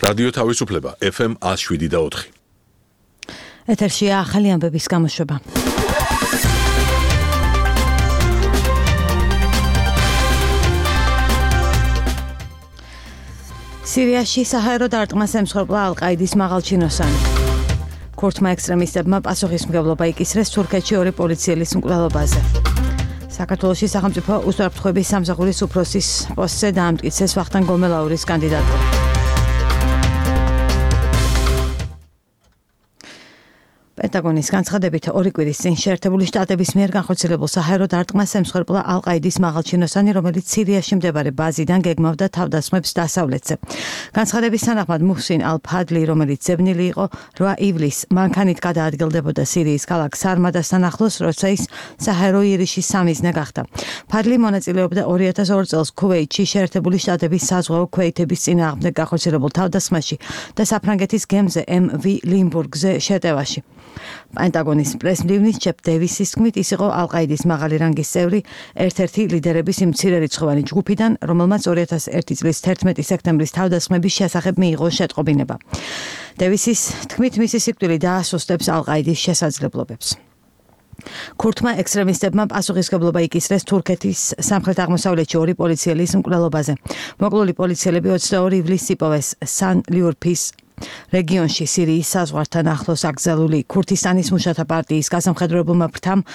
რადიო თავისუფლება FM 107.4. ეთერშია ახალი ამბების გამოშვება. სირიაში საჰაერო დარტყმას ემსხვერპლა ალ-ყაიდის მაღალჩინოსანი. ქურთმა ექსტრემისტებმა პასუხისმგებლობა იკისრეს თურქეთში 2 პოლიციელის მკვლელობაზე. საქართველოში სახელმწიფო უსაფრთხოების სამსახურის უფროსის პოსტზე დაამტკიცეს ვახტანგ გომელაურის კანდიდატურა. პენტაგონის განცხადებით 2 კვირის წინ შეერთებული შტატების მიერ განხორციელებულ საჰაერო დარტყმას ემსხვერპლა ალ-ყაიდის მაღალჩინოსანი, რომელიც სირიაში მდებარე ბაზიდან გეგმავდა თავდასხმებს დასავლეთზე. განცხადების თანახმად მუჰსინ ალ-ფადლი, რომელიც ძებნილი იყო 8 ივლისს, მანქანით გადაადგილდებოდა სირიის ქალაქ სარმადასთან ახლოს, როცა ის საჰაერო იერიშის სამიზნე გახდა. ფადლი მონაწილეობდა 2002 წელს ქუვეითში შეერთებული შტატების საზღვაო ქვეითების წინააღმდეგ განხორციელებულ თავდასხმაში და საფრანგეთის გემზე MV ლიმბურგზე შეტევაში. პენტაგონის პრესმდივნის ჯეფ დევისის თქმით, ის იყო ალ-ყაიდის მაღალი რანგის წევრი, ერთ-ერთი ლიდერების იმ მცირერიცხოვანი ჯგუფიდან, რომელმაც 2001 წლის 11 სექტემბრის თავდასხმების შესახებ მიიღო შეტყობინება. დევისის თქმით, მისი სიკვდილი დაასუსტებს ალ-ყაიდის შესაძლებლობებს. ქურთმა ექსტრემისტებმა პასუხისმგებლობა იკისრეს თურქეთის სამხრეთ-აღმოსავლეთში 2 პოლიციელის მკვლელობაზე. მოკლული პოლიციელები 22 ივლისს იპოვეს სან-ლიურფის რეგიონში სირიის საზღვართან ახლოს აკრძალული ქურთისტანის მუშათა პარტიის გასამხედროებულმა ფრთამ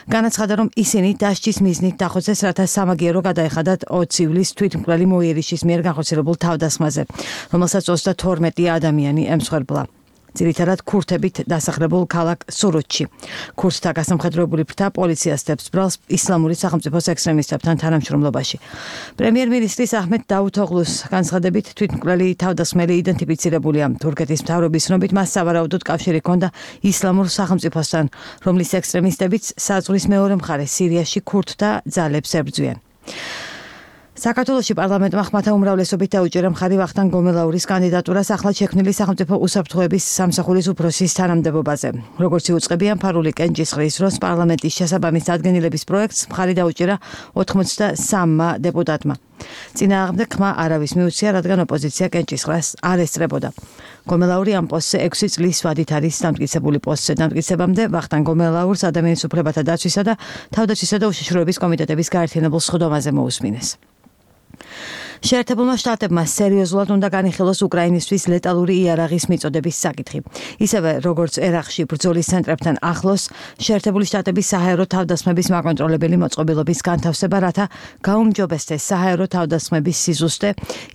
განაცხადა, რომ ისინი დასჯის მიზნით დახოცეს, რათა სამაგიერო გადაეხადათ 20 ივლისს თვითმკვლელი მოიერიშის მიერ განხორციელებულ თავდასხმაზე, რომელსაც 32 ადამიანი ემსხვერპლა. ძირითადად ქურთებით დასახლებულ ქალაქ სურუთში. ქურთთა გასამხედროებული ფრთა პოლიციას დებს ბრალს ისლამური სახელმწიფოს ექსტრემისტებთან თანამშრომლობაში. პრემიერ-მინისტრის აჰმედ დაუთოღლუს განცხადებით, თვითმკვლელი თავდასხმელი იდენტიფიცირებულია. თურქეთის მთავრობის ცნობით, მას სავარაუდოდ კავშირი ჰქონდა ისლამურ სახელმწიფოსთან, რომლის ექსტრემისტებიც საზღვრის მეორე მხარეს სირიაში ქურთთა ძალებს ებრძვიან. საქართველოში პარლამენტმა ხმათა უმრავლესობით დაუჭირა მხარი ვახტანგ გომელაურის კანდიდატურას ახლად შექმნილი სახელმწიფო უსაფრთხოების სამსახურის უფროსის თანამდებობაზე. როგორც იუწყებიან ფარული კენჭისყრის დროს პარლამენტის შესაბამის დადგენილების პროექტს მხარი დაუჭირა 83 დეპუტატმა. წინააღმდეგ ხმა არავის მიუწია, რადგან ოპოზიცია კენჭისყრას არ ესწრებოდა. გომელაური ამ პოსტზე 6 წლის ვადით არის დამტკიცებული. პოსტზე დამტკიცებამდე ვახტანგ გომელაურს ადამიანის უფლებათა დაცვისა და თავდაცვისა და უშიშროების კომიტეტების გაერთიანებულ სხდომაზე მოусმინეს. შეერთებულმა შტატებმა სერიოზულად უნდა განიხილოს უკრაინისთვის ლეტალური იარაღის მიწოდების საკითხი. ისევე როგორც ერაყში ბრძოლის ცენტრებთან ახლოს, შეერთებული შტატების საჰაერო თავდასხმების მაკონტროლებელი მოწყობილობის განთავსება, რათა გაუმჯობესდეს საჰაერო თავდასხმების სიზუსტე,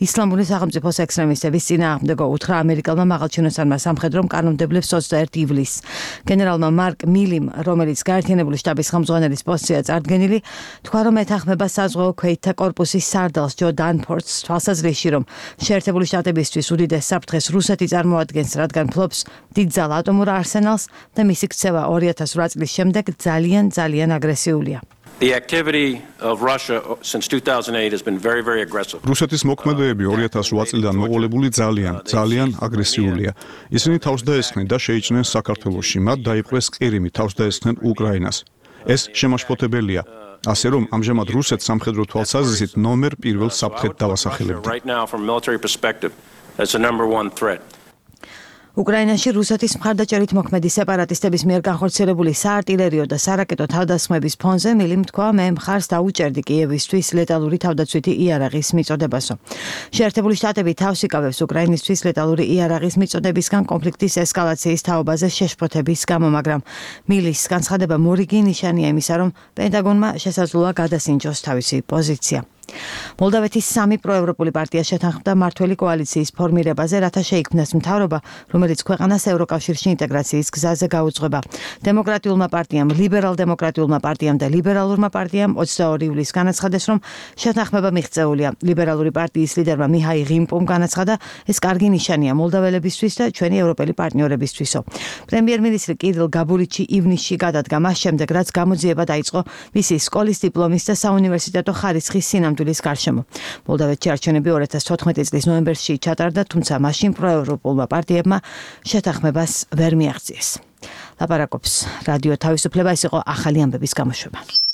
ისლამური სახელმწიფოს ექსტრემისტების წინააღმდეგო უთხრა ამერიკელმა მაღალჩინოსანმა სამხედრო კანონმდებლებს 21 ივლისს. გენერალმა მარკ მილიმ, რომელიც გაერთიანებული შტაბის ხელმძღვანელის პოსტზეა წარდგენილი, თქვა, რომ ეთანხმება საზღვაო ქვეითთა კორპუსის სარდალს ჯო დანფორდს თვალსაზრისში, რომ შეერთებული შტატებისთვის უდიდეს საფრთხეს რუსეთი წარმოადგენს, რადგან ფლობს დიდძალ ატომურ არსენალს და მისი ქცევა 2008 წლის შემდეგ ძალიან აგრესიულია. The activity of Russia since 2008 has been very aggressive. რუსეთის მოქმედებები 2008 წლიდან მოყოლებული ძალიან აგრესიულია. ისინი თავს დაესხნენ და შეიჭრნენ საქართველოში, მათ დაიპყრეს ყირიმი, თავს დაესხნენ უკრაინას. ეს შემაშფოთებელია. ასე რომ ამჟამად რუსეთს სამხედრო თვალსაზრისით ნომერ 1 საფრთხედ დავასახელებთ. უკრაინაში რუსეთის მხარდაჭერით მოქმედი სეპარატისტების მიერ განხორციელებული საარტილერიო და სარაკეტო თავდასხმების ფონზე მილიმ თქვა, მე მხარს დაუჭერდი კიევისთვის ლეტალური თავდაცვითი იარაღის მიწოდებასო. შეერთებული შტატები თავს იკავებს უკრაინისთვის ლეტალური იარაღის მიწოდებისგან კონფლიქტის ესკალაციის თაობაზე შეშფოთების გამო, მაგრამ მილის განცხადება მორიგი ნიშანია იმისა, რომ პენტაგონმა შესაძლოა გადასინჯოს თავისი პოზიცია. მოლდავეთის 3 პროევროპული პარტია შეთანხმდა მართველი კოალიციის ფორმირებაზე, რათა შეიქმნას მთავრობა, რომელიც ქვეყანას ევროკავშირში ინტეგრაციის გზაზე გაუძღვება. დემოკრატიულმა პარტიამ, ლიბერალ-დემოკრატიულმა პარტიამ და ლიბერალურმა პარტიამ 22 ივლისს განაცხადეს, რომ შეთანხმება მიღწეულია. ლიბერალური პარტიის ლიდერმა მიჰაი ღიმპუმ განაცხადა, ეს კარგი ნიშანია მოლდაველებისთვის და ჩვენი ევროპელი პარტნიორებისთვისო. პრემიერ-მინისტრი კირილ გაბურიჩი ივნისში გადადგა მას შემდეგ, რაც გამოძიება დაიწყო მისი სკოლის დიპლომის და საუნივერსიტეტო ხარისხის სინამდვილის გარშემო. მოლდავეთში არჩევნები 2014 წლის ნოემბერში ჩატარდა, თუმცა მაშინ პროევროპულმა პარტიებმა შეთანხმებას ვერ მიაღწიეს. ლაპარაკობს რადიო თავისუფლება, ეს იყო ახალი ამბების გამოშვება.